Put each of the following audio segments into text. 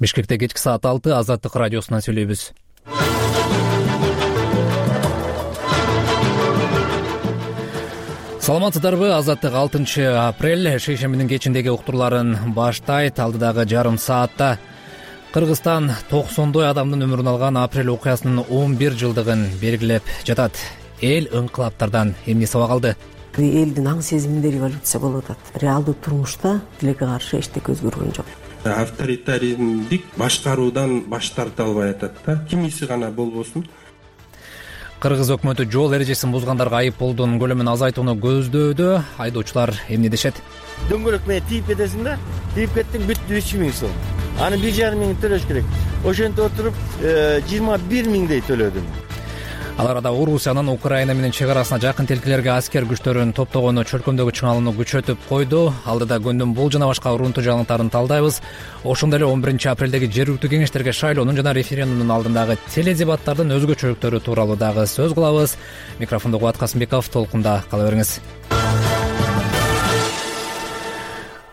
Бишкекте кечки саат 6 Азаттык радиосунан сүйлөйбүз. Саламатсыздарбы? Азаттык 6 апрель шейшембинин кечиндеги уктурларын баштайт. Алдыдагы жарым саатта Кыргызстан 90 адамдын өмүрүн алган апрель окуясынын 11 жылдыгын белгилеп жатат. Эл ыңкылаптардан эмне сабак алды? Элдин аң сезиминде революция болуп атат. Реалдуу турмушта тилекке каршы эчтеке өзгөргөн жок. Авторитариздик башкаруудан баш тарта албай атат да. Кимиси гана болбосун. Кыргыз өкмөтү жол эрежесин бузгандарга айыппулдун көлөмүн азайтууну көздөдө. Айдоочулар эмне дешет? Дөңгөлөк менен тийип кетесиң да, тийип кеттиң, бүттү 3000 сом. Аны 1,5 миң төлөш керек. Ошентип отуруп 21 миңдей төлөдүм. Ал арада Орусиянын Украина менен чек арасына жакын тилкелерге аскер күчтөрүн топтогону чөлкөмдөгү чыңалууну күчөтүп койду. Алдыда күндүн бул жана башка урунтуу жаңылыктарын талдайбыз. Ошондой эле 11 апрелдеги жергиликтүү кеңештерге шайлоонун жана референдумдун алдындагы теледебаттардын өзгөчөлүктөрү тууралуу дагы сөз кылабыз. Микрофондо Кубат Касымбеков, толкунда кала бериңиз.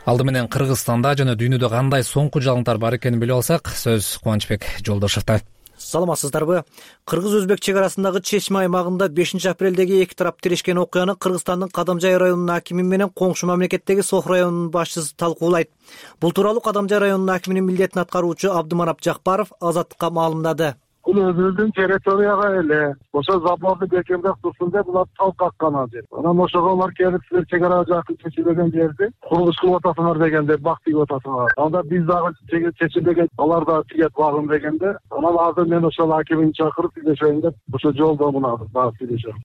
Алды менен Кыргызстанда жана дүйнөдө кандай соңку жаңылыктар бар экенин билип алсак, сөз Кубанычбек Жолдошевто. Саламатсыздарбы? Кыргыз-өзбек чек арасындагы Чечме аймагында 5 апрелдеги эки тарап тирешкен окуяны Кыргызстандын Кадамжай районунун акими менен коңшу мамлекеттеги Сох районунун башчысы талкуулайт. Бул тууралуу Кадамжай районунун акиминин милдетин аткаруучу Абдыманап Жакпаров Азаттыкка маалымдады. Бул өзүбүздүн территорияга эле ошо заборду бекемдеп турсун деп булар тал каккан азыр. Анан ошого алар келип силер чек арага жакын чечилбеген жерди курулуш кылып атасыңар дегенде бак тигип атасыңар. Анда биз дагы чечилбеген алар да тигет багым дегенде анан азыр мен ошол акимин чакырып сүйлөшөйүн деп ошо жолдо мына барып сүйлөшөм.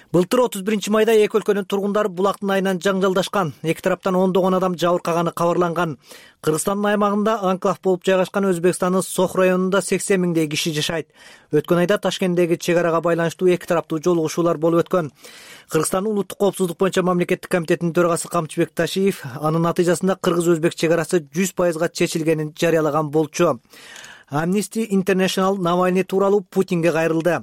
Былтыр 31 майда эки өлкөнүн тургундары булактын айынан жаңжалдашкан. Эки тараптан ондогон адам жабыркаганы кабарланган. Кыргызстандын аймагында анклав болуп жайгашкан Өзбекстандын Сох районунда 80 миңдей киши жашайт. Өткөн айда Ташкенттеги чек арага байланыштуу эки тараптуу жолугушуулар болуп өткөн. Кыргызстандын улуттук коопсуздук боюнча мамлекеттик комитетинин төрагасы Камчыбек Ташиев анын натыйжасында кыргыз-өзбек чек арасы 100% чечилгенин жарыялаган болчу. Amnesty International Навальный тууралуу Путинге кайрылды.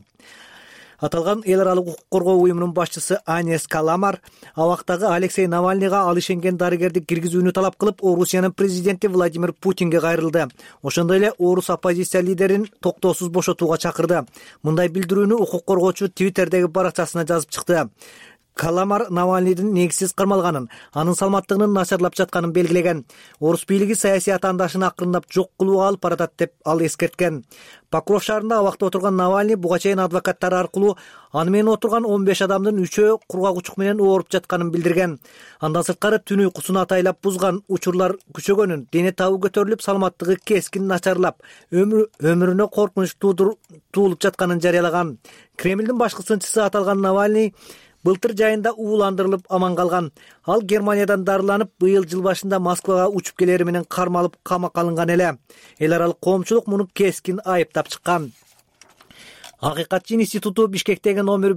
Аталган эл аралык укук коргоо уюмунун башчысы Анес Каламар абактагы Алексей Навальныйга ал ишенген дарыгерди киргизүүнү талап кылып, Орусиянын президенти Владимир Путинге кайрылды. Ошондой эле орус оппозиция лидерин токтоосуз бошотууга чакырды. Мындай билдирүүнү укук коргоочу Твиттердеги баракчасына жазып чыкты. Каламар Навальныйдын негизсиз кармалганын, анын саламаттыгынын начарлап жатканын белгилеген. Орус бийлиги саясий атаандашын акырындап жок кылууга алып баратат деп ал эскерткен. Покров шаарында абакта отурган Навальный буга чейин адвокаттары аркылуу аны менен отурган 15 адамдын 3-өө кургак учук менен ооруп жатканын билдирген. Андан сырткары түн уйкусун атайлап бузган, учурлар күчөгөнүн, дене табы көтөрүлүп, саламаттыгы кескин начарлап, өмүрүнө коркунуч туулуп жатканын жарыялаган. Кремлдин башкы сынчысы аталган Навальный былтыр жайында ууландырылып аман калган. Ал Германиядан дарыланып, быйыл жыл башында Москвага учуп келери менен кармалып камакка алынган эле. Эл аралык коомчулук муну кескин айыптап чыккан. Акыйкатчы институту Бишкектеги номер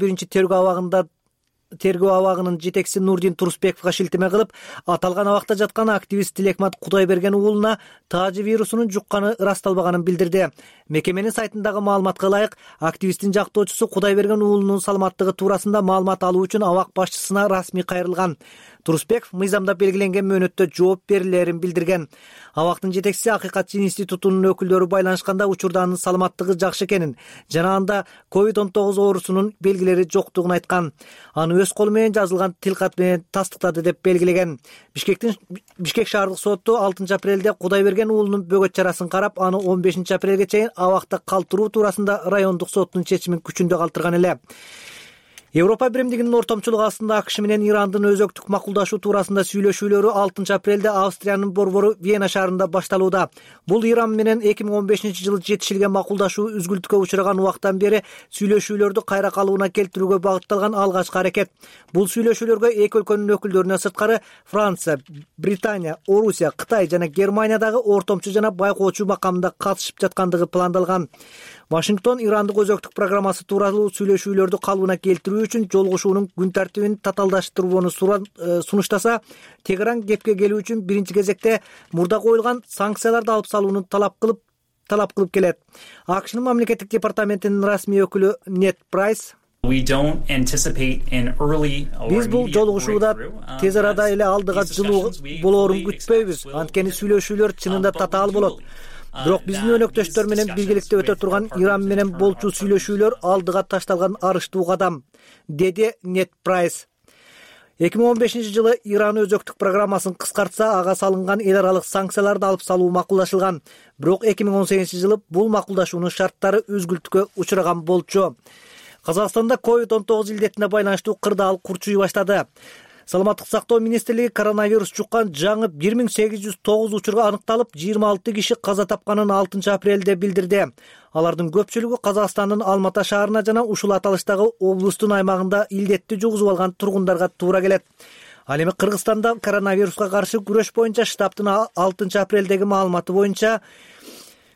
1-тергөө абагынын жетекчиси Нурдин Турусбековго шилтеме кылып, аталган абакта жаткан активист Тилекмат Кудайберген уулуна таажы вирусунун жукканы ырасталбаганын билдирди. Мекеменин сайтындагы маалыматка ылайык, активисттин жактоочусу Кудайберген уулунун саламаттыгы туурасында маалымат алуу үчүн абак башчысына расмий кайрылган. Турусбеков мыйзамда белгиленген мөөнөттө жооп берилерин билдирген. Абактын жетекчиси Акыйкатчы институтунун өкүлдөрү байланышканда учурда анын саламаттыгы жакшы экенин жана анда COVID-19 оорусунун белгилери жоктугун айткан. Аны өз колу менен жазылган тилкат менен тастыктады деп белгилеген. Бишкек шаардык соту 6 апрелде Кудайберген уулунун бөгөт чарасын карап, аны 15 апрелге чейин абакта калтыруу туурасында райондук соттун чечимин күчүндө калтырган эле. Европа биримдигинин ортомчулугу астында АКШ менен Ирандын өзөктүк макулдашуу туурасында сүйлөшүүлөрү 6 апрелде Австриянын борбору Вена шаарында башталууда. Бул Иран менен 2015-жылы жетишилген макулдашуу үзгүлтүккө учураган убактан бери сүйлөшүүлөрдү кайра калыбына келтирүүгө багытталган алгачкы аракет. Бул сүйлөшүүлөргө эки өлкөнүн өкүлдөрүнөн сырткары Франция, Британия, Орусия, Кытай жана Германиядагы ортомчу жана байкоочу макамында катышып жаткандыгы пландалган. Вашингтон Ирандык өзөктүк программасы тууралуу сүйлөшүүлөрдү калыбына келтирүү үчүн жолугушуунун күн тартибин татаалдаштырууну сунуштаса, Тегеран кепке келүү үчүн биринчи кезекте мурда коюлган санкцияларды алып салууну талап кылып келет. АКШнын мамлекеттик департаментинин расмий өкүлү Нет Прайс Биз бул жолугушууда тез арада эле алдыга жылуу болоорун күтпөйбүз. Анткени сүйлөшүүлөр чынында татаал болот. Бирок биздин өнөктөштөр менен биргеликте өтө турган Иран менен болчу сүйлөшүүлөр алдыга ташталган арыштуу кадам, деди Нед Прайс. 2015-жылы Иран өзөктүк программасын кыскартса, ага салынган эл аралык санкцияларды алып салуу макулдашылган. Бирок 2018-жылы бул макулдашуунун шарттары үзгүлтүккө учураган болчу. Казакстанда COVID-19 илдетине байланыштуу кырдаал курчуй баштады. Саламаттык сактоо министрлиги коронавирус жуккан жаңы 1809 учурга аныкталып, 26 киши каза тапканын 6 апрелде билдирди. Алардын көпчүлүгү Казакстандын Алмата шаарына жана ушул аталыштагы облустун аймагында илдетти жугузуп алган тургундарга туура келет. Ал эми Кыргызстанда коронавируска каршы күрөш боюнча штабтын 6 апрелдеги маалыматы боюнча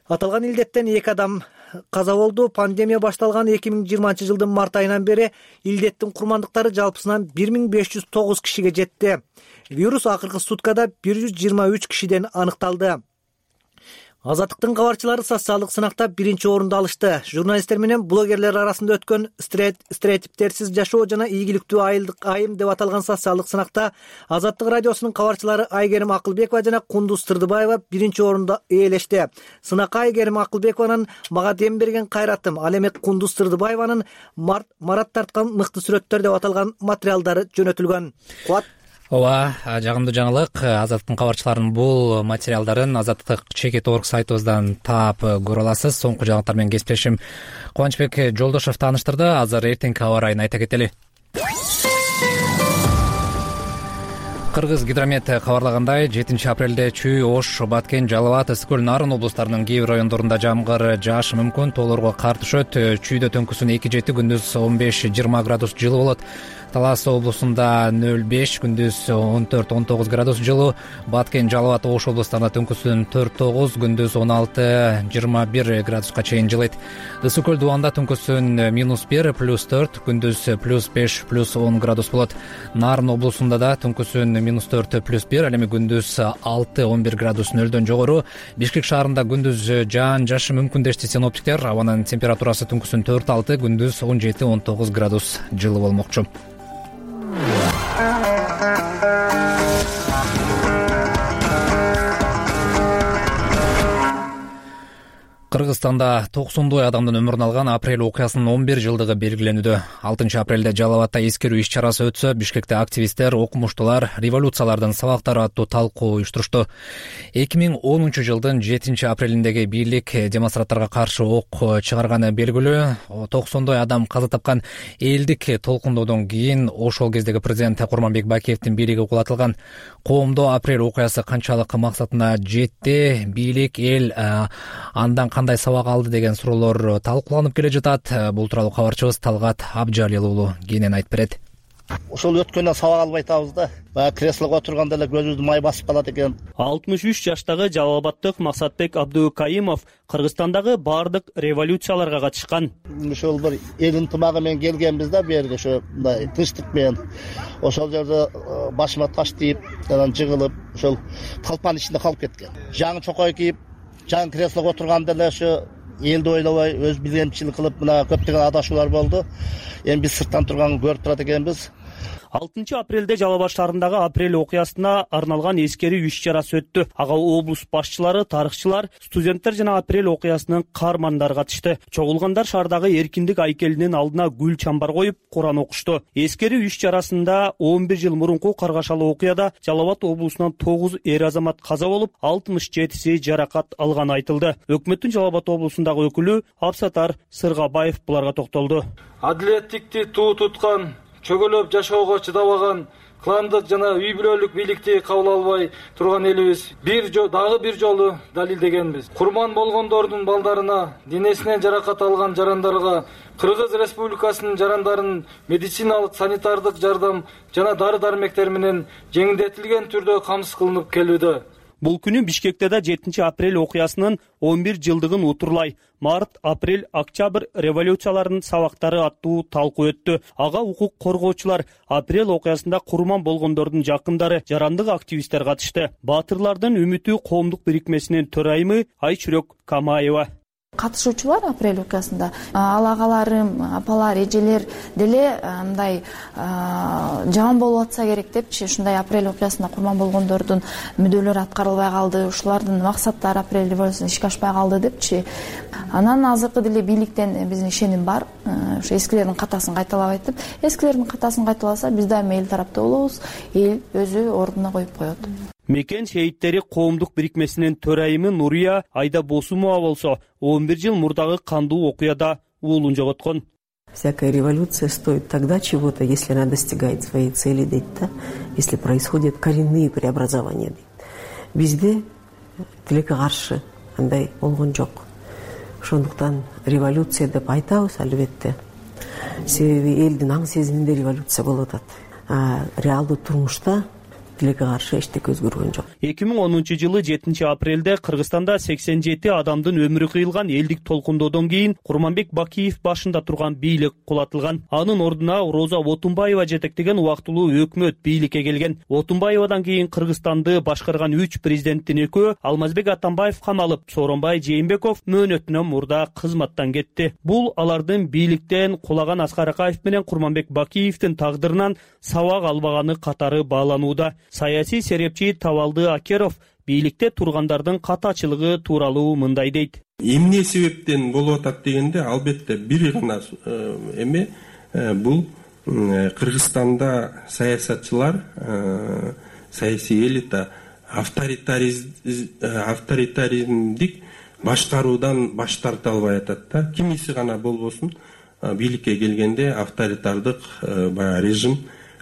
аталган илдеттен 2 адам каза болду. Пандемия башталган 2020-жылдын март айынан бери илдеттин курмандыктары жалпысынан 1509 кишиге жетти. Вирус акыркы суткада 123 кишиден аныкталды. Азаттыктын кабарчылары социалдык сынакта 1-орунду алышты. Журналисттер менен блогерлер арасында өткөн стереотиптерсиз жашоо жана ийгиликтүү айым деп аталган социалдык сынакта Азаттык радиосунун кабарчылары Айгерим Акылбекова жана Кундуз Тырдыбаева 1-орунду ээлешти. Сынакка Айгерим Акылбекованын "Мага дем берген кайратым", ал эми Кундуз Тырдыбаеванын "Марат тарткан мыкты сүрөттөр" деп аталган материалдары жөнөтүлгөн. Ооба, жагымдуу жаңылык. Азаттыктын кабарчыларынын бул материалдарын azatlyk.org сайтыбыздан таап көрө аласыз. Соңку жаңылыктар менен кесиптешим Кубанычбек Жолдошов тааныштырды. Азыр эртеңки аба ырайын айта кетели. Кыргыз гидромет кабарлагандай, 7 апрелде Чүй, Ош, Баткен, Жалал абад, Ысык көл, Нарын облустарынын кээ бир райондорунда жамгыр жаашы мүмкүн. Тоолорго кар түшөт. Чүйдө түнкүсүн 2-7, күндүз 15-20 градус жылуу болот. Талас облусунда 0-5, күндүз 14-19 градус жылуу. Баткен, Жалал абад, Ош облустарында түнкүсүн 4-9, күндүз 16-21 градуска чейин жылыйт. Ысык көл дубанда түнкүсүн -1, +4, күндүз +5, +10 градус болот. Нарын облусунда да түнкүсүн -4, +1, ал эми күндүз 6-11 градус нөлдөн жогору. Бишкек шаарында күндүз жаан жаашы мүмкүн дешти синоптиктер. Абанын температурасы түнкүсүн 4-6, күндүз 17-19 градус жылуу болмокчу. Кыргызстанда 90 адамдын өмүрүн алган апрель окуясынын 11 жылдыгы белгиленүүдө. 6 апрелде Жалал абадта эскерүү иш-чарасы өтсө, Бишкекте активисттер окумуштуулар революциялардын сабактары аттуу талкуу уюштурушту. 2010 жылдын 7 апрелиндеги бийлик демонстранттарга каршы ок чыгарганы белгилүү. 90 адам каза тапкан элдик толкундоодон кийин ошол кездеги президент Курманбек Бакиевдин бийлиги кулатылган. Коомдо апрель окуясы канчалык максатына жетти, бийлик эл андан кандай сабак алды деген суроолор талкууланып келе жатат. Бул тууралуу кабарчыбыз Талгат Абжалил уулу кенен айтып берет. Ошол өткөндөн сабак албай атабыз да. Баягы креслого отурганда эле көзүбүздү май басып калат экен. 63 жаштагы Жалал абадтык Максатбек Абдукаимов Кыргызстандагы баардык революцияларга катышкан. Ошол бир эл ынтымагы менен келгенбиз да, бу жерге ошо мындай тынчтык менен. Ошол жерде башыма таш тийип, анан жыгылып, ошол талпанын ичинде калып кеткен. Жаңы чокой кийип, жаңы креслого отурганда эле ошо элди ойлобой, өз билемчилик кылып, мына көптөгөн адашуулар болду. Эми биз сырттан турган көрүп турат экенбиз. 6 апрелде Жалал абад шаарындагы апрель окуясына арналган эскерүү иш-чарасы өттү. Ага облус башчылары, тарыхчылар, студенттер жана апрель окуясынын каармандары катышты. Чогулгандар шаардагы эркиндик айкелинин алдына гүл чамбар коюп, Куран окушту. Эскерүү иш-чарасында 11 жыл мурунку каргашалуу окуяда Жалал абад облусунан 9 эр азамат каза болуп, 67си жаракат алганы айтылды. Өкмөттүн Жалал абад облусундагы өкүлү Абсатар Сыргабаев буларга токтолду. Адилеттикти туу туткан, чөгөлөп жашоого чыдабаган, кландык жана үй бүлөлүк бийликти кабыл албай турган элибиз дагы бир жолу далилдегенбиз. Курман болгондордун балдарына, денесинен жаракат алган жарандарга Кыргыз Республикасынын жарандарынын медициналык, санитардык жардам жана дары-дармектер менен жеңилдетилген түрдө камсыз кылынып келүүдө. Бул күнү Бишкекте да 7 апрель окуясынын 11 жылдыгын утурлай март, апрель, октябрь революцияларынын сабактары аттуу талкуу өттү. Ага укук коргоочулар, апрель окуясында курман болгондордун жакындары, жарандык активисттер катышты. Баатырлардын үмүтү коомдук бирикмесинин төрайымы Айчүрөк Камаева. катышуучулар апрель окуясында ал агаларым, апалар, эжелер деле мындай жаман болуп атса керек депчи, ушундай апрель окуясында курман болгондордун мүдөлөрү аткарылбай калды, ушулардын максаттары апрель революциясында ишке ашпай калды депчи. Анан азыркы деле бийликтен биздин ишеним бар, ошо эскилердин катасын кайталабайт деп. Эскилердин катасын кайталаса биз дайыма эл тарапта болобуз, эл өзү ордуна коюп коет. Мекен шейиттери коомдук бирикмесинин төрайымы Нурия Айда Босумова болсо 11 жыл мурдагы кандуу окуяда уулун жоготкон. Всякая революция стоит тогда чего-то, если она достигает своей цели, дейт, если происходят коренные преобразования, дейт. Бизде тилекке каршы андай болгон жок. Ошондуктан революция деп айтабыз, албетте. Себеби элдин аң сезиминде революция болуп атат. Реалдуу турмушта тилекке каршы эчтеке өзгөргөн жок. 2010 жылы 7 апрелде Кыргызстанда 87 адамдын өмүрү кыйылган элдик толкундоодон кийин Курманбек Бакиев башында турган бийлик кулатылган. Анын ордуна Роза Отунбаева жетектеген убактылуу өкмөт бийликке келген. Отунбаевадан кийин Кыргызстанды башкарган 3 президенттин экөө Алмазбек Атамбаев камалып, Сооронбай Жээнбеков мөөнөтүнөн мурда кызматтан кетти. Бул алардын бийликтен кулаган Аскар Акаев менен Курманбек Бакиевдин тагдырынан сабак албаганы катары бааланууда. Саясий серепчи Табалды Акеров бийликте тургандардын катачылыгы тууралуу мындай дейт. Эмне себептен болуп атат дегенде, албетте бир гана эме бул Кыргызстанда саясатчылар, саясий элита авторитаризмдик башкаруудан баш тарта албай атат да. Кимиси гана болбосун бийликке келгенде авторитардык режим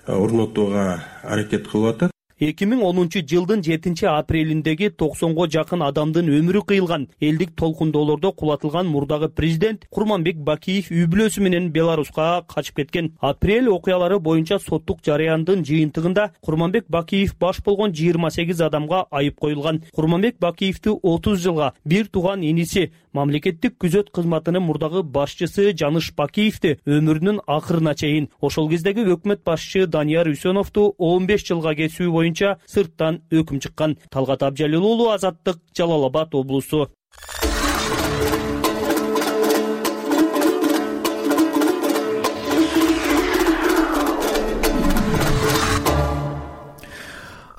орнотууга аракет кылып атат. 2010 жылдын 7 апрелиндеги 90го жакын адамдын өмүрү кыйылган элдик толкундоолордо кулатылган мурдагы президент Курманбек Бакиев үй бүлөсү менен Беларуска качып кеткен. Апрель окуялары боюнча соттук жарыяндын жыйынтыгында Курманбек Бакиев баш болгон 28 адамга айып коюлган. Курманбек Бакиевти 30 жылга бир тууган иниси мамлекеттик күзөт кызматынын мурдагы башчысы Жаныш Бакиевти өмүрүнүн акырына чейин, ошол кездеги өкмөт башчы Данияр Үсөновду 15 жылга кесүү боюнча сырттан өкүм чыккан. Талгат Абжалил уулу, Азаттык, Жалал Абад облусу.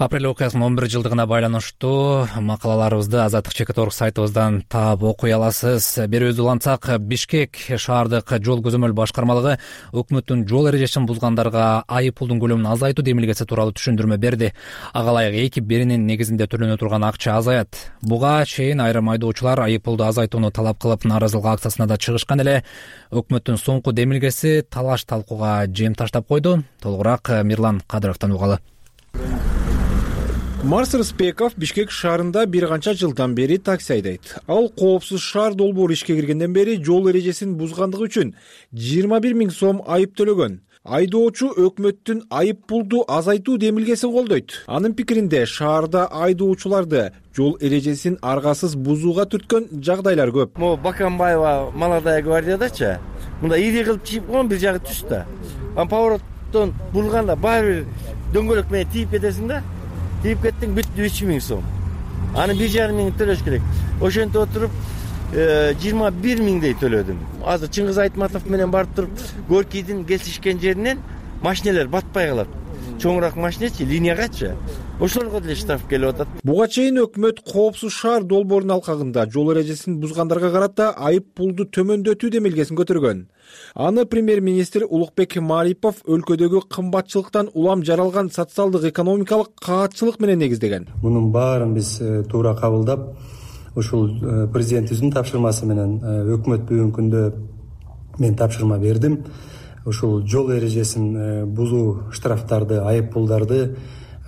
Апрель окуясынын 11 жылдыгына байланыштуу макалаларыбызды Азаттык Чекит.орг сайтыбыздан таап окуй аласыз. Берүүбүздү улантсак, Бишкек шаардык жол көзөмөл башкармалыгы өкмөттүн жол эрежесин бузгандарга айып пулдун көлөмүн азайтуу демилгеси тууралуу түшүндүрмө берди. Ага ылайык 2 беренин негизинде төлөнө турган акча азаят. Буга чейин айрым айдоочулар айып пулду азайтууну талап кылып нааразылык акциясына да чыгышкан эле. Өкмөттүн соңку демилгеси талаш талкууга жем таштап койду. Толугураак Мирлан Кадыровдон угалы. Марс Рыспеков Бишкек шаарында бир канча жылдан бери такси айдайт. Ал коопсуз шаар долбоору ишке киргенден бери жол эрежесин бузгандыгы үчүн 21 000 сом айып төлөгөн. Айдоочу өкмөттүн айып пулду азайтуу демилгесин колдойт. Анын пикиринде шаарда айдоочуларды жол эрежесин аргасыз бузууга түрткөн жагдайлар көп. Могу Баканбаева Молодая гвардиядачы мында ири кылып чийип койгон, бир жагы түз да. Повороттон бурганда баары бир дөңгөлөк менен тийип кетесиң да. Тийип кеттиң, бүттү 3 000 сом. Аны 1,5 000 төлөш керек. Ошентип отуруп 21 000дей төлөдүм. Азыр Чыңгыз Айтматов менен барып туруп, Горкийдин кесишкен жеринен машинелер батпай калат. Чоңураак машинечи, линиягачы. Ошолорго деле штраф келип атат. Буга чейин өкмөт коопсуз шаар долбоорунун алкагында жол эрежесин бузгандарга карата айып пулду төмөндөтүү демилгесин көтөргөн. Аны премьер-министр Улукбек Марипов өлкөдөгү кымбатчылыктан улам жаралган социалдык экономикалык каатчылык менен негиздеген. Мунун баарын биз туура кабылдап, ушул президентибиздин тапшырмасы менен өкмөт бүгүнкү күндө мен тапшырма бердим. Ушул жол эрежесин бузуу штрафтарды, айып пулдарды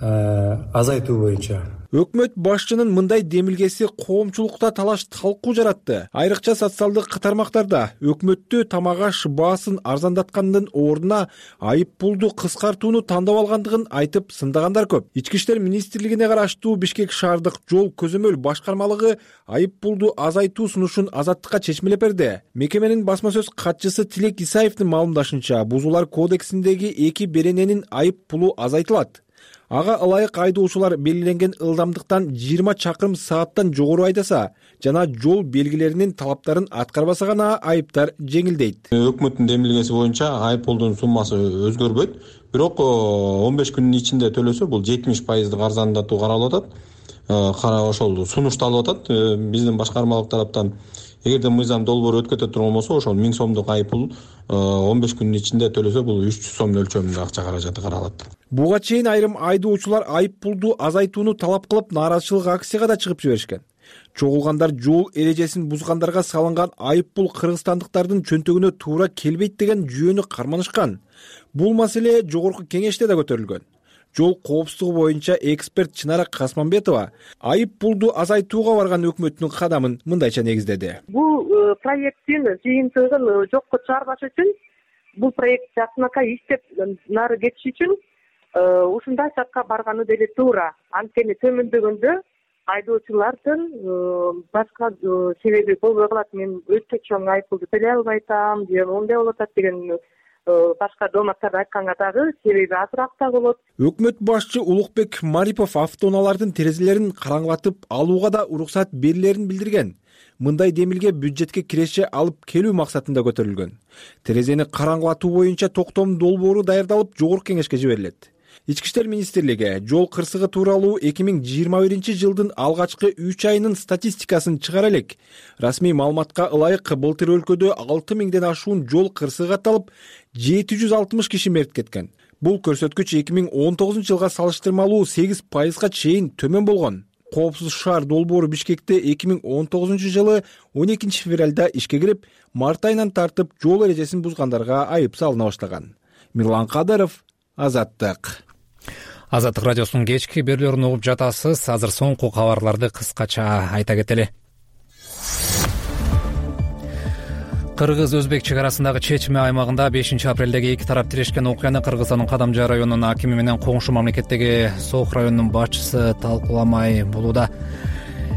азайтуу боюнча. Өкмөт башчынын мындай демилгеси коомчулукта талаш талкуу жаратты. Айрыкча социалдык тармактарда өкмөттү тамак аш баасын арзандаткандын ордуна айып пулду кыскартууну тандап алгандыгын айтып сындагандар көп. Ички иштер министрлигине караштуу Бишкек шаардык жол көзөмөл башкармалыгы айып пулду азайтуу сунушун Азаттыкка чечмелеп берди. Мекеменин басма сөз катчысы Тилек Исаевдин маалымдашынча, бузуулар кодексиндеги 2 берененин айып пулу азайтылат. Ага ылайык айдоочулар белгиленген ылдамдыктан 20 чакырым сааттан жогору айдаса жана жол белгилеринин талаптарын аткарбаса гана айыптар жеңилдейт. Өкмөттүн демилгеси боюнча айып пулдун суммасы өзгөрбөйт. Бирок 15 күндүн ичинде төлөсө бул 70% арзандатуу каралып атат. Ошол сунушталып атат биздин башкармалык тараптан. Эгерде мыйзам долбоору өткөтө турган болсо, ошол 1000 сомдук айып пул 15 күндүн ичинде төлөсө, бул 300 сом өлчөмүндө акча каражаты каралат. Буга чейин айрым айдоочулар айып пулду азайтууну талап кылып, нааразычылык акцияга да чыгып жиберишкен. Чогулгандар жол эрежесин бузгандарга салынган айып пул кыргызстандыктардын чөнтөгүнө туура келбейт деген жүйөнү карманышкан. Бул маселе жогорку кеңеште да көтөрүлгөн. Жол коопсуздугу боюнча эксперт Чынара Касманбетова айып пулду азайтууга барган өкмөттүн кадамын мындайча негиздеди. Бул проекттин жыйынтыгын жокко чыгарбаш үчүн, бул проект жакынакай иштеп нары кетиш үчүн ушундай шартка барганы деле туура. Анткени төмөндөгөндө айдоочулардын башка себеби болбой калат. Мен өтө чоң айып пулду төлөй албай атам, же мындай болуп атат деген башка дооматтарды айтканга дагы себеби азыраак да болот. Өкмөт башчы Улукбек Марипов автоунаалардын терезелерин караңгылатып алууга да уруксат берилерин билдирген. Мындай демилге бюджетке киреше алып келүү максатында көтөрүлгөн. Терезени караңгылатуу боюнча токтом долбоору даярдалып жогорку кеңешке жиберилет. Ички иштер министрлиги жол кырсыгы тууралуу 2021-жылдын алгачкы 3 айынын статистикасын чыгара элек. Расмий маалыматка ылайык былтыр өлкөдө 6000ден ашуун жол кырсыгы катталып, 760 киши мерт кеткен. Бул көрсөткүч 2019-жылга салыштырмалуу 8%га чейин төмөн болгон. Коопсуз шаар долбоору Бишкекте 2019-жылы 12-февралда ишке кирип, март айынан тартып жол эрежесин бузгандарга айып салына баштаган. Мирлан Кадыров, Азаттык. Азаттык радиосунун кечки берүүлөрүн угуп жатасыз. Азыр соңку кабарларды кыскача айта кетели. Кыргыз-өзбек чек арасындагы Чечме аймагында 5-апрелдеги эки тарап тирешкен окуяны Кыргызстандын Кадамжай районунун акими менен коңшу мамлекеттеги Сох районунун башчысы талкууламай болууда.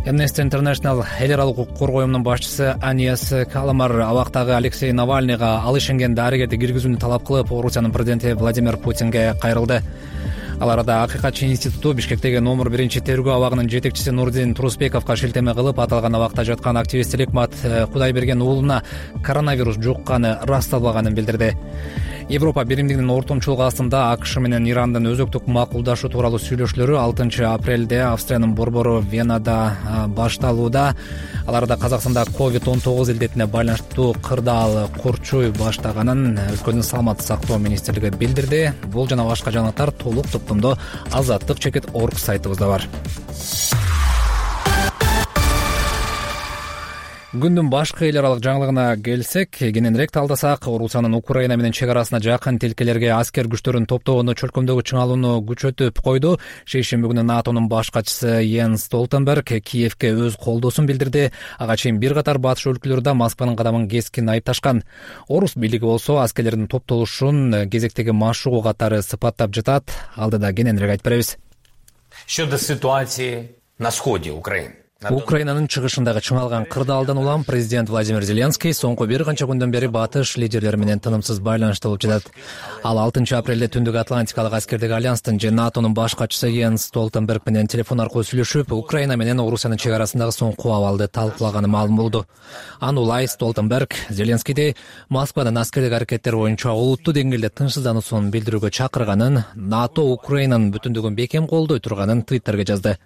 Amnesty International эл аралык укук коргоо уюмунун башчысы Анияс Каламар абактагы Алексей Навальныйга ал ишенген дарыгерди киргизүүнү талап кылып, Орусиянын президенти Владимир Путинге кайрылды. Ал арада Акыйкатчы институту Бишкектеги номер 1-тергөө абагынын жетекчиси Нурдин Турусбековго шилтеме кылып, аталган абакта жаткан активист Лекмат Кудайберген уулуна коронавирус жукканы расталбаганын билдирди. Европа биримдигинин ортомчулугу астында АКШ менен Ирандын өзөктүк макулдашуу тууралуу сүйлөшүүлөрү 6-апрелде Австриянын борбору Венада башталууда. Ал арада Казакстанда COVID-19 илдетине байланыштуу кырдаал курчуй баштаганын өлкөнүн саламаттык сактоо министрлиги билдирди. Бул жана башка жаңалыктар толук топтомдо azattik.org сайтыбызда бар. Күндүн башкы эл аралык жаңылыгына келсек, кененирээк талдасак, Орусиянын Украина менен чек арасына жакын тилкелерге аскер күчтөрүн топтогону чөлкөмдөгү чыңалууну күчөтүп койду. Шейшемби күнү НАТОнун баш катчысы Йенс Столтенберг Киевке өз колдоосун билдирди. Ага чейин бир катар батыш өлкөлөр да Москванын кадамын кескин айыпташкан. Орус бийлиги болсо аскерлердин топтолушун кезектеги машыгуу катары сыпаттап жатат. Алдыда кененирээк айтып беребиз. Щодо ситуации на сходе Украины. Украинанын чыгышындагы чыңалган кырдаалдан улам президент Владимир Зеленский соңку бир канча күндөн бери батыш лидерлери менен тынымсыз байланышта болуп жатат. Ал 6-апрелде Түндүк Атлантикалык аскердик альянстын же НАТОнун баш катчысы Йенс Столтенберг менен телефон аркылуу сүйлөшүп, Украина менен Орусиянын чек арасындагы соңку абалды талкуулаганы маалым болду. Аны улай Столтенберг Зеленскийди Москванын аскердик аракеттери боюнча олуттуу деңгээлде тынчсыздануусун билдирүүгө чакырганын, НАТО Украинанын бүтүндүгүн бекем колдой турганын Twitterге жазды.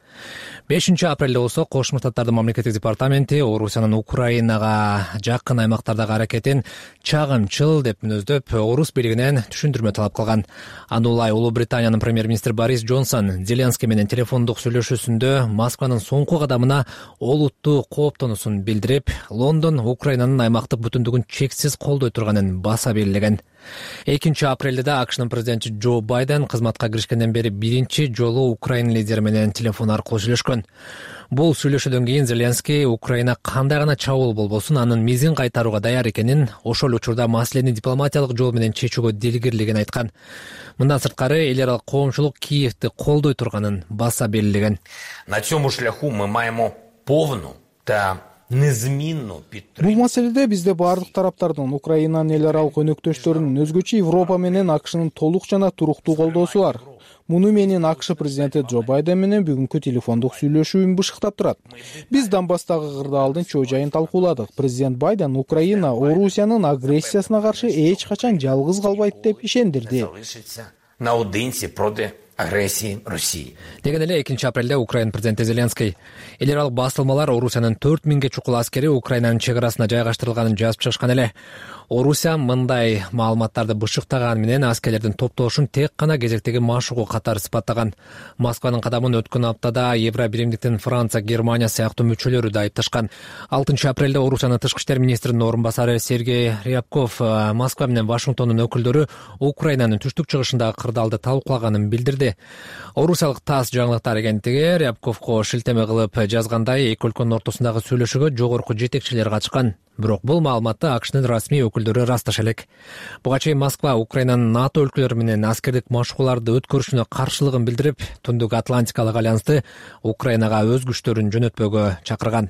5-апрелде болсо Кошмо Штаттардын мамлекеттик департаменти Орусиянын Украинага жакын аймактардагы аракетин чагымчыл деп мүнөздөп, Орус бийлигинен түшүндүрмө талап кылган. Аны улай Улуу Британиянын премьер-министри Борис Джонсон Зеленский менен телефондук сүйлөшүүсүндө Москванын соңку кадамына олуттуу кооптонуусун билдирип, Лондон Украинанын аймактык бүтүндүгүн чексиз колдой турганын баса белгилеген. 2-апрелде да АКШнын президенти Джо Байден кызматка киришкенден бери биринчи жолу Украина лидери менен телефон аркылуу сүйлөшкөн. Бул сүйлөшүүдөн кийин Зеленский Украина кандай гана чабуул болбосун анын мизин кайтарууга даяр экенин, ошол учурда маселени дипломатиялык жол менен чечүүгө дилгирлигин айткан. Мындан сырткары эл аралык коомчулук Киевди колдой турганын баса белгилеген. На цьому шляху мы маємо повну та незминну підтримку. Бул маселеде бизде бардык тараптардын Украинанын эл аралык өнөктөштөрүнүн өзгөчө Европа менен АКШнын толук жана туруктуу колдоосу бар. Муну менин АКШ президенти Джо Байден менен бүгүнкү телефондук сүйлөшүүм бышыктап турат. Биз Донбасстагы кырдаалдын чоо жайын талкууладык. Президент Байден Украина Орусиянын агрессиясына каршы эч качан жалгыз калбайт деп ишендирди. Наодинці проти агрессии России. Деген эле 2 апрелде Украина президенти Зеленский эл аралык басылмалар Орусиянын 4000 чукул аскери Украинанын чек арасына жайгаштырылганын жазып чыгышкан эле. Орусия мындай маалыматтарды бышыктаган менен аскерлердин топтолушун тек гана кезектеги машыгуу катары сыпаттаган. Москванын кадамын өткөн аптада Евро биримдиктин Франция, Германия сыяктуу мүчөлөрү да айыпташкан. 6 апрелде Орусиянын тышкы иштер министринин орун басары Сергей Рябков Москва менен Вашингтондун өкүлдөрү Украинанын түштүк чыгышындагы кырдаалды талкуулаганын билдирди. Орусиялык ТАСС жаңылыктар агенттиги Рябковго шилтеме кылып жазгандай, эки өлкөнүн ортосундагы сүйлөшүүгө жогорку жетекчилер катышкан. Бирок бул маалыматты АКШнын расмий өкүлдөрү ырасташа элек. Буга чейин Москва Украинанын НАТО өлкөлөрү менен аскердик машыгууларды өткөрүшүнө каршылыгын билдирип, Түндүк Атлантикалык альянсты Украинага өз күчтөрүн жөнөтпөөгө чакырган.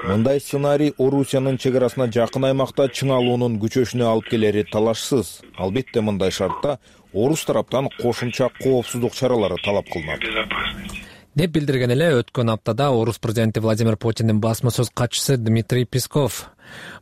Мындай сценарий Орусиянын чек арасына жакын аймакта чыңалуунун күчөшүнө алып келери талашсыз. Албетте мындай шартта орус тараптан кошумча коопсуздук чаралары талап кылынат. Деп билдирген эле өткөн аптада орус президенти Владимир Путиндин басма сөз катчысы Дмитрий Песков.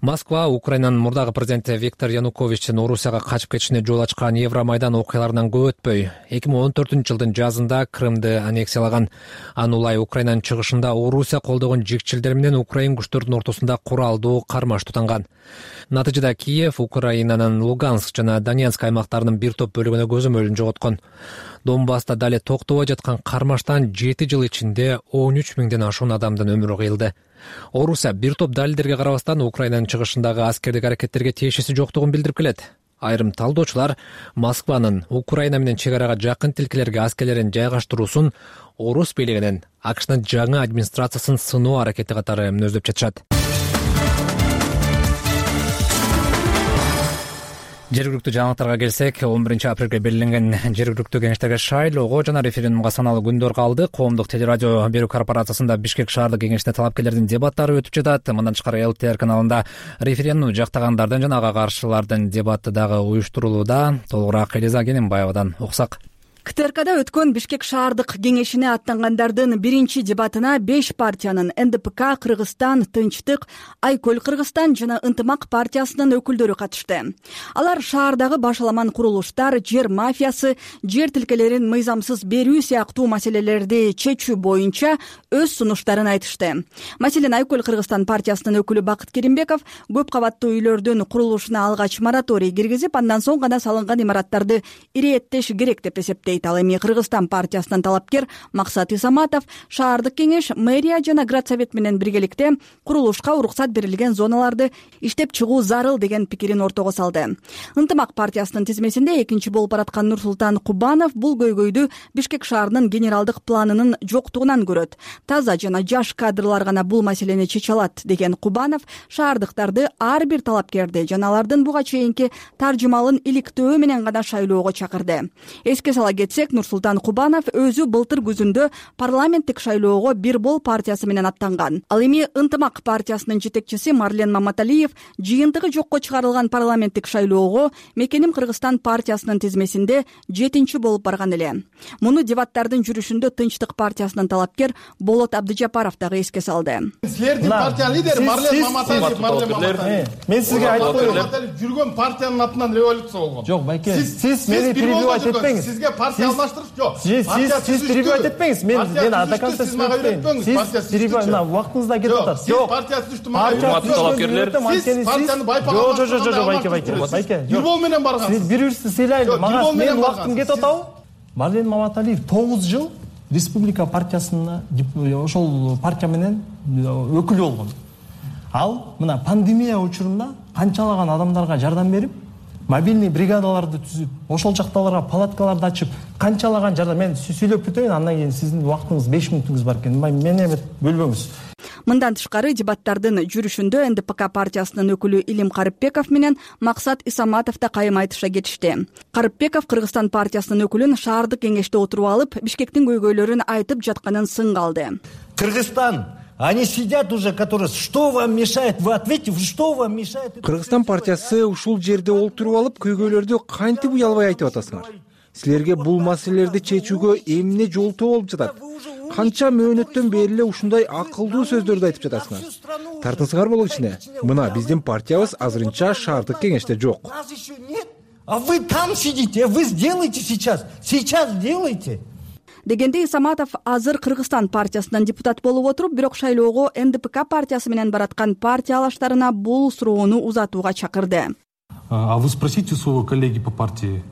Москва Украинанын мурдагы президенти Виктор Януковичтин Орусияга качып кетишине жол ачкан Евромайдан окуяларынан көп өтпөй 2014-жылдын жазында Крымды аннексиялаган. Анулай Украинанын чыгышында Орусия колдогон жикчилдер менен Украин күчтөрүнүн ортосунда куралдуу кармаш тутанган. Натыйжада Киев Украинанын Луганск жана Донецк аймактарынын бир топ бөлүгүнө көзөмөлүн жоготкон. Донбасста дале токтобой жаткан кармаштан 7 жыл ичинде 13 миңден ашуун адамдын өмүрү кыйылды. Орусия бир топ далилдерге карабастан Украинанын чыгышындагы аскердик аракеттерге тиешеси жоктугун билдирип келет. Айрым талдоочулар Москванын Украина менен чек арага жакын тилкелерге аскерлерин жайгаштыруусун орус бийлигинин АКШнын жаңы администрациясын сыноо аракети катары мүнөздөп жатышат. Жергиликтүү жаңылыктарга келсек, 11 апрелге белгиленген жергиликтүү кеңештерге шайлоого жана референдумга саналуу күндөр калды. Коомдук телерадио берүү корпорациясында Бишкек шаардык кеңешине талапкерлердин дебаттары өтүп жатат. Мындан тышкары ЛТР каналында референдум жактагандардын жана ага каршылардын дебаты дагы уюштурулууда. Толугураак Элиза Кененбаевадан уксак. КТРКда өткөн Бишкек шаардык кеңешине аттангандардын биринчи дебатына 5 партиянын НДПК, Кыргызстан, Тынчтык, Айкөл Кыргызстан жана Ынтымак партиясынын өкүлдөрү катышты. Алар шаардагы башаламан курулуштар, жер мафиясы, жер тилкелерин мыйзамсыз берүү сыяктуу маселелерди чечүү боюнча өз сунуштарын айтышты. Маселен, Айкөл Кыргызстан партиясынын өкүлү Бакыт Керимбеков көп кабаттуу үйлөрдүн курулушуна алгач мораторий киргизип, андан соң гана салынган имараттарды ирэеттеш керек деп эсептейт. Ал эми Кыргызстан партиясынын талапкер Максат Исаматов шаардык кеңеш, мэрия жана Градсовет менен биргеликте курулушка уруксат берилген зоналарды иштеп чыгуу зарыл деген пикирин ортого салды. Ынтымак партиясынын тизмесинде экинчи болуп бараткан Нурсултан Кубанов бул көйгөйдү Бишкек шаарынын генералдык планынын жоктугунан көрөт. Таза жана жаш кадрлар гана бул маселени чече алат деген Кубанов шаардыктарды ар бир талапкерди жана алардын буга чейинки таржымалын иликтөө менен гана шайлоого чакырды. Эске сала кетсек, Нурсултан Кубанов өзү былтыр күзүндө парламенттик шайлоого Бир бол партиясы менен аттанган. Ал эми Ынтымак партиясынын жетекчиси Марлен Маматалиев жыйынтыгы жокко чыгарылган парламенттик шайлоого Мекеним Кыргызстан партиясынын тизмесинде 7-чи болуп барган эле. Муну дебаттардын жүрүшүндө Тынчтык партиясынын талапкер Болот Абдыжапаров дагы эске салды. Силердин партия лидери Марлен Маматалиев. Мен сизге айтып коеюн. Жүргөн партиянын атынан революция болгон. Жок, байке. Сиз мени перебивать этпеңиз. Сизге партия алмаштырып жок. Сиз перебивать этпеңиз. Мен адакатта сиз мага үйрөтпөңүз. Сиз перебивать вакытыңыз да кетип атат. Жок. Партия түштү мага үйрөтпөңүз. Сиз партияны байпаган. Жок, байке. Бир бол менен барган. Сиз бири-бирибизди сыйлайлы. Мага менин вакытым кетип атабы? Марлен Маматалиев 9 жыл Республика партиясына ошол партия менен өкүл болгон. Ал мына пандемия учурунда канчалаган адамдарга жардам берип, мобильный бригадаларды түзүп, ошол жакталарга палаткаларды ачып, канчалаган жардам. Мен сүйлөп бүтөйүн, андан кийин сиздин вакытыңыз 5 мүнөтүңүз бар экен. Мени эме бөлбөңүз. Мындан тышкары дебаттардын жүрүшүндө НДПК партиясынын өкүлү Илим Карыпбеков менен Максат Исаматов да кайым айтыша кетишти. Карыпбеков Кыргызстан партиясынын өкүлүн шаардык кеңеште отуруп алып, Бишкектин көйгөйлөрүн айтып жатканын сынга алды. Кыргызстан, они сидят уже, которые, что вам мешает? Вы ответьте, что вам мешает? Кыргызстан партиясы ушул жерде олтуруп алып, көйгөйлөрдү кантип уялбай айтып атасыңар? Силерге бул маселелерди чечүүгө эмне жол болуп жатат? Канча мөөнөттөн бери эле ушундай акылдуу сөздөрдү айтып жатасыңар. Тартыңсыңар болу ичине. Мына биздин партиябыз азырынча шаардык кеңеште жок. А вы там сидите, вы сделайте сейчас сделайте. Дегенде Исаматов азыр Кыргызстан партиясынан депутат болуп отуруп, бирок шайлоого НДПК партиясы менен бараткан партия алаштарына бул суроону узатууга чакырды. А вы спросите своего коллеги по партии,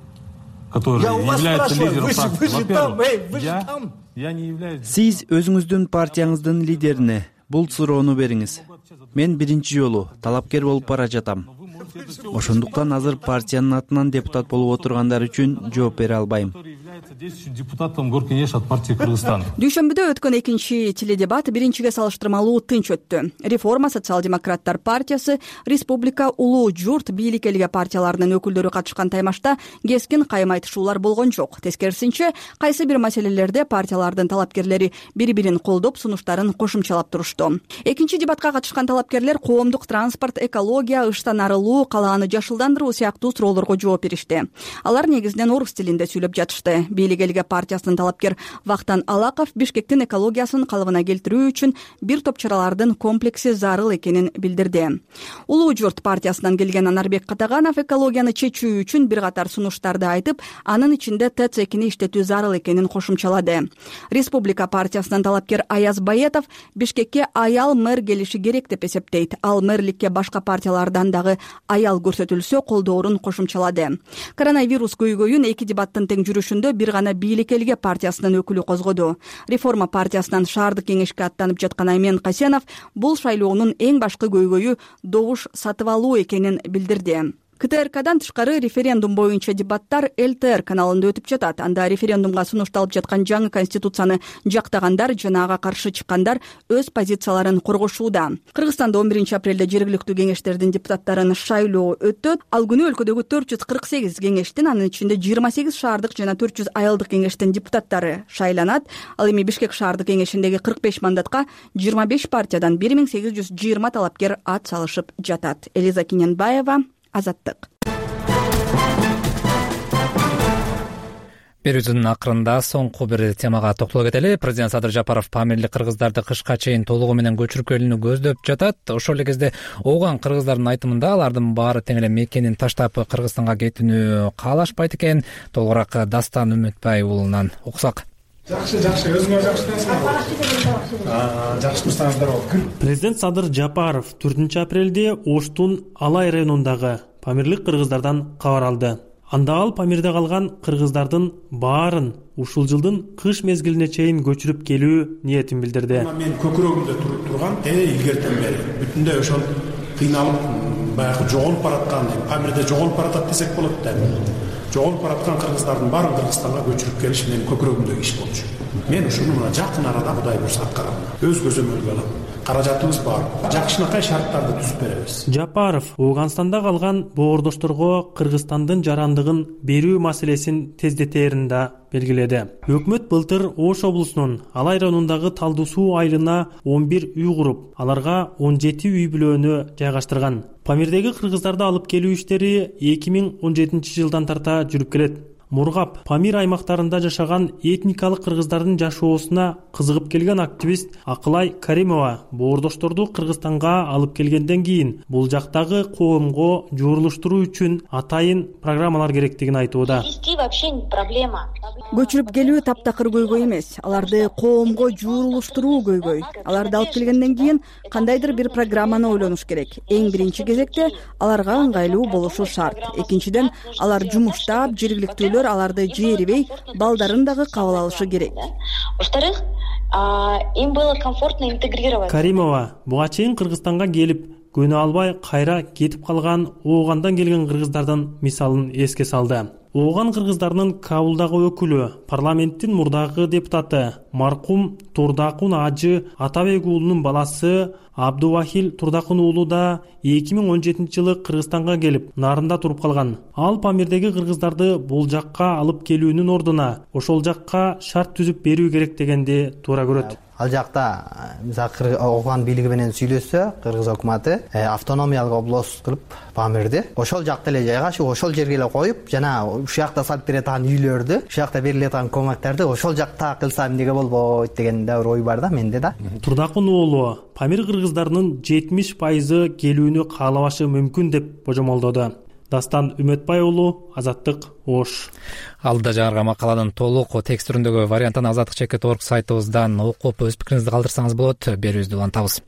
который является лидером партии. Я не являюсь. Сиз өзүңүздүн партияңыздын лидерине бул суроону бериңиз. Мен биринчи жолу талапкер болуп бара жатам. Ошондуктан азыр партиянын атынан депутат болуп отургандар үчүн жооп бере албайм. Депутатом Горкенеш от партии Кыргызстан. Дүйшөмбүдө өткөн экинчи теледебат биринчиге салыштырмалуу тынч өттү. Реформа социал-демократтар партиясы, Республика, Улуу журт, бийлик элге партияларынын өкүлдөрү катышкан таймашта кескин кайым айтышуулар болгон жок. Тескерисинче, кайсы бир маселелерде партиялардын талапкерлери бири-бирин колдоп, сунуштарын кошумчалап турушту. Экинчи дебатка катышкан талапкерлер коомдук транспорт, экология, ыштан арылуу, калааны жашылдандыруу сыяктуу суроолорго жооп беришти. Алар негизинен орус тилинде сүйлөп жатышты. Бийлик элге партиясынын талапкер Вахтан Алаков Бишкектин экологиясын калыбына келтирүү үчүн бир топ чаралардын комплекси зарыл экенин билдирди. Улуу журт партиясынан келген Анарбек Катаганов экологияны чечүү үчүн бир катар сунуштарды айтып, анын ичинде ТЭЦ-2 иштетүү зарыл экенин кошумчалады. Республика партиясынан талапкер Аяз Баетов Бишкекке аял мэр келиши керек деп эсептейт. Ал мэрликке башка партиялардан дагы аял көрсөтүлсө колдоорун кошумчалады. Коронавирус көйгөйүн эки дебаттын тең жүрүшүндө бир гана бийлик элге партиясынын өкүлү козгоду. Реформа партиясынан шаардык кеңешке аттанып жаткан Аймен Касенов бул шайлоонун эң башкы көйгөйү добуш сатып алуу экенин билдирди. КТРКдан тышкары референдум боюнча дебаттар ЛТР каналында өтүп жатат. Анда референдумга сунушталып жаткан жаңы конституцияны жактагандар жана ага каршы чыккандар өз позицияларын коргошууда. Кыргызстанда 11 апрелде жергиликтүү кеңештердин депутаттарын шайлоо өтөт. Ал күнү өлкөдөгү 448 кеңештин, анын ичинде 28 шаардык жана 400 айылдык кеңештин депутаттары шайланат. Ал эми Бишкек шаардык кеңешиндеги 45 мандатка 25 партиядан 1820 талапкер ат салышып жатат. Элиза Киненбаева, Азаттык. Берүүбүздүн акырында соңку бир темага токтоло кетели. Президент Садыр Жапаров Памирлик кыргыздарды кышка чейин толугу менен көчүрүп келүүнү көздөп жатат. Ошол эле кезде ооган кыргыздардын айтымында алардын баары тең эле мекенин таштап Кыргызстанга кетүүнү каалашпайт экен. Толугураак Дастан Үмүтбай уулунан уксак. Жакшы, өзүңөр жакшысыңарбы? Жакшы турсаңыздар болот. Президент Садыр Жапаров 4 апрелде Оштун Алай районундагы Памирлик кыргыздардан кабар алды. Анда ал Памирде калган кыргыздардын баарын ушул жылдын кыш мезгилине чейин көчүрүп келүү ниетин билдирди. Мен көкүрөгүмдө туруп турган илгертен бери бүтүндөй ошол кыйналып баягы жоголуп бараткан, Памирде жоголуп баратат десек болот да. Жоголуп бараткан кыргыздардын баарын Кыргызстанга көчүрүп келиш менин көкүрөгүмдөгү иш болчу. Мен ушуну мына жакын арада Кудай буйрса аткарам. Өз көзөмөлгө алам. Каражатыбыз бар. Жакшынакай шарттарды түзүп беребиз. Жапаров Ооганстанда калган боордошторго Кыргызстандын жарандыгын берүү маселесин тездетерин да белгиледи. Өкмөт былтыр Ош облусунун Алай районундагы Талдуу суу айылына 11 үй куруп, аларга 17 үй бүлөөнү жайгаштырган. Памирдеги кыргыздарды алып келүү иштери 2017 жылдан тарта жүрүп келет. Мургап, Памир аймактарында жашаган этникалык кыргыздардын жашоосуна кызыгып келген активист Акылай Каримова боордошторду Кыргызстанга алып келгенден кийин бул жактагы коомго журулуштуруу үчүн атайын программалар керектигин айтууда. Көчүрүп келүү таптакыр көйгөй эмес, аларды коомго журулуштуруу көйгөй. Аларды алып келгенден кийин кандайдыр бир программаны ойлонуш керек. Эң биринчи кезекте аларга ыңгайлуу болушу шарт. Экинчиден, алар жумуштап, жергиликтүүлөр аларды жээрибей, балдарын дагы кабыл алышы керек. Во-вторых, им было комфортно интегрироваться. Каримова буга чейин Кыргызстанга келип, көнө албай кайра кетип калган Оогандан келген кыргыздардын мисалын эске салды. Ооган кыргыздарынын Кабулдагы өкүлү, парламенттин мурдагы депутаты маркум Турдакун Ажы Атабек уулунун баласы Абдувахил Турдакун уулу да 2017 жылы Кыргызстанга келип, нарында туруп калган. Ал Памирдеги кыргыздарды бул жакка алып келүүнүн ордуна ошол жакка шарт түзүп берүү керек дегенди туура көрөт. ал жакта мисалы Окуган бийлиги менен сүйлөшсө, Кыргыз өкмөтү автономиялык область кылып Памирди ошол жакта эле жайгашып, ошол жерге эле коюп, жана ушул жакта салып бере турган үйлөрдү, ушул жакта бериле турган көмөктөрдү ошол жакта кылса эмнеге болбойт деген да бир ой бар да менде да. Турдакун уулу Памир кыргыздарынын 70% келүүнү каалабашы мүмкүн деп божомолдоду. Дастан Үмөтбай уулу, Азаттык, Ош. Алда жаңырга макаланын толук текст түрүндөгү вариантын Азаттык.org сайтыбыздан окуп өз пикириңизди калтырсаңыз болот. Берүүбүздү улантабыз.